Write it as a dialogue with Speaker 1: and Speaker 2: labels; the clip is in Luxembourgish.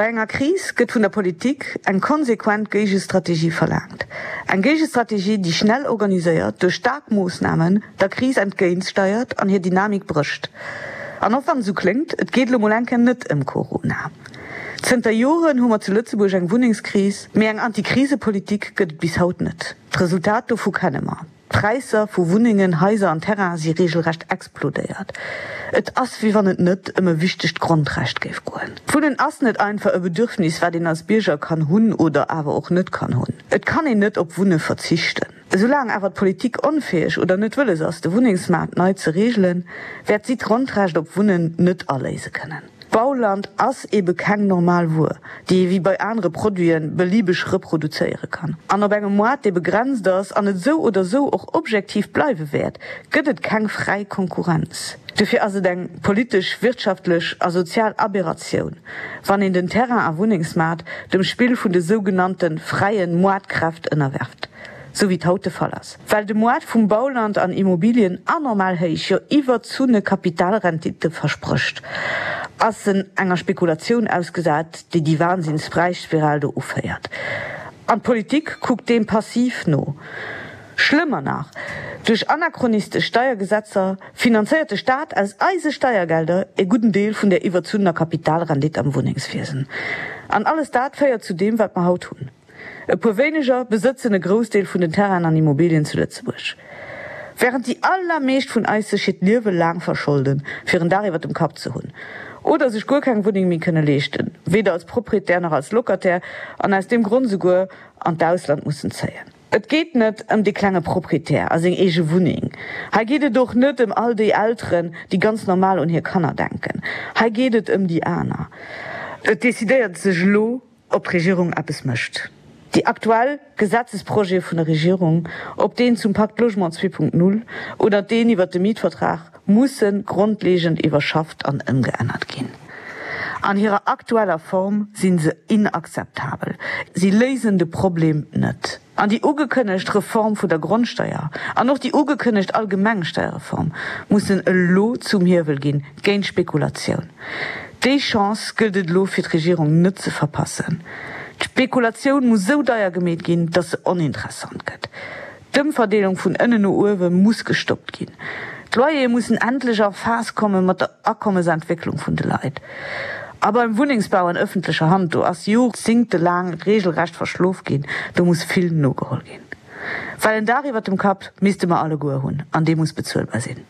Speaker 1: Bei enger Kris gëtt vun der Politik eng konsequent Géigestrategie verlaangt. Eng Géigestrategie, déi schnell organiséiert, duerch staark Moossnamen der Kris entgéintsteiert an hir Dynamik brécht. An och wann et esou kléngt, et geet elo mol eng Kéier net ëm Corona. Zënter Joren hu mer zu Lëtzebuerg eng Wunnengskris, mee eng Antikrisepolitik gëtt et bis haut net. D'Resultat dovu kenne mer. D'Präisser vu Wunnengen, Haiser an Terrainen si regelrecht explodéiert. Et ass, wéi wann et net ëm e wichtegt Grondrecht géif goen. D'Wunnen ass net einfach e Bedürfnis, wat een als Bierger kann hunn oder awer och net kann hunn. Et kann een net op Wunne verzichten. Esoulaang awer d'Politik onfäeg oder net wëlles ass, de Wunnengsmaart nei ze regelen, wäert si d'Grondrecht op Wunnen net aléise kënnen. Bauland ass ebe keng normal Wuer, déi ee wéi bei anere Produite beliebeg reproduzéiere kann. An op engem Moart, dee begrenzt ass an et esou oder esou och objektiv bleiwe wäert, gëtt et keng fräi Konkurrenz. Dofir ass et eng politesch, wirtschaftlech a sozial Aberratioun, wann een den Terrain a Wunnengsmaart dem Spill vun de sougenannte fräie Moartkräft ënnerwerft. Sou wéi et haut de Fall ass. Well de Moart vum Bauland an Immobilien anormal héich, jo iwwerzunne Kapitalrendite versprécht, ass en enger Spekulatioun ausgesat, déi déi Wahnsinnspräisspiral do uféiert. An d'Politik kuckt deem passiv no. Schlëmmer nach, duerch anachronistesch Steiergesetzer finanzéiert de Staat aus eise Steiergelder e gudden Deel vun där iwwerzunnener Kapitalrendite am Wunnengswiesen. An alles dat féiert zu deem, wat mer haut hunn. E puer wéineger besëtzen e Groussdeel vun den Terrainen an Immobilien zu Lëtzebuerg. Wärend déi allermeescht vun eis sech hiert Liewe laang verscholden, fir en Daach iwwer dem Kapp ze hunn, oder sech guer keng Wunneng méi kënne leeschten, weder als Proprietär nach als Locataire, an aus deem Grond esouguer an d'Ausland mussen zéien. Et geet net ëm dee klenge Proprietär a seng eege Wunneng. Hei geet et och net ëm all déi Elteren, déi ganz normal un hir Kanner denken. Hei geet et ëm déi aner. Et decidéiert sech elo, ob d'Regierung eppes mécht. Déi aktuell Gesetzesprojete vun der Regierung, ob deen zum Pacte Logement 2.0 oder deen iwwert de Mietvertrag, musse grondlegend iwwerschafft an ëmgeännert ginn. An hirer aktueller Form si se inakzeptabel. Si léisen de Problem net. An déi ugekënnegt Reform vun der Grondsteier an och déi ugekënnegt allgemeng Steierreform mussen elo zum Hiewel ginn géint d'Spekulatioun. Déi Chance gëllt et elo fir d'Regierung net ze verpassen. D'Spekulatioun muss esou deier gemeet ginn, datt se oninteressant gëtt. D'Ëmverdeelung vun ënnen no uewe muss gestoppt ginn. D'Loyere mussen endlech a Phas komme mat der Akommesentwécklung vun de Leit. A beim Wunnengsbau an ëffentlecher Hand, do ass jorzingtelaang regelrecht verschlof ginn, do muss vill nogeholl ginn. Well en Daach iwwert dem Kapp misste mer alleguer hunn an dee muss bezuelbar sinn.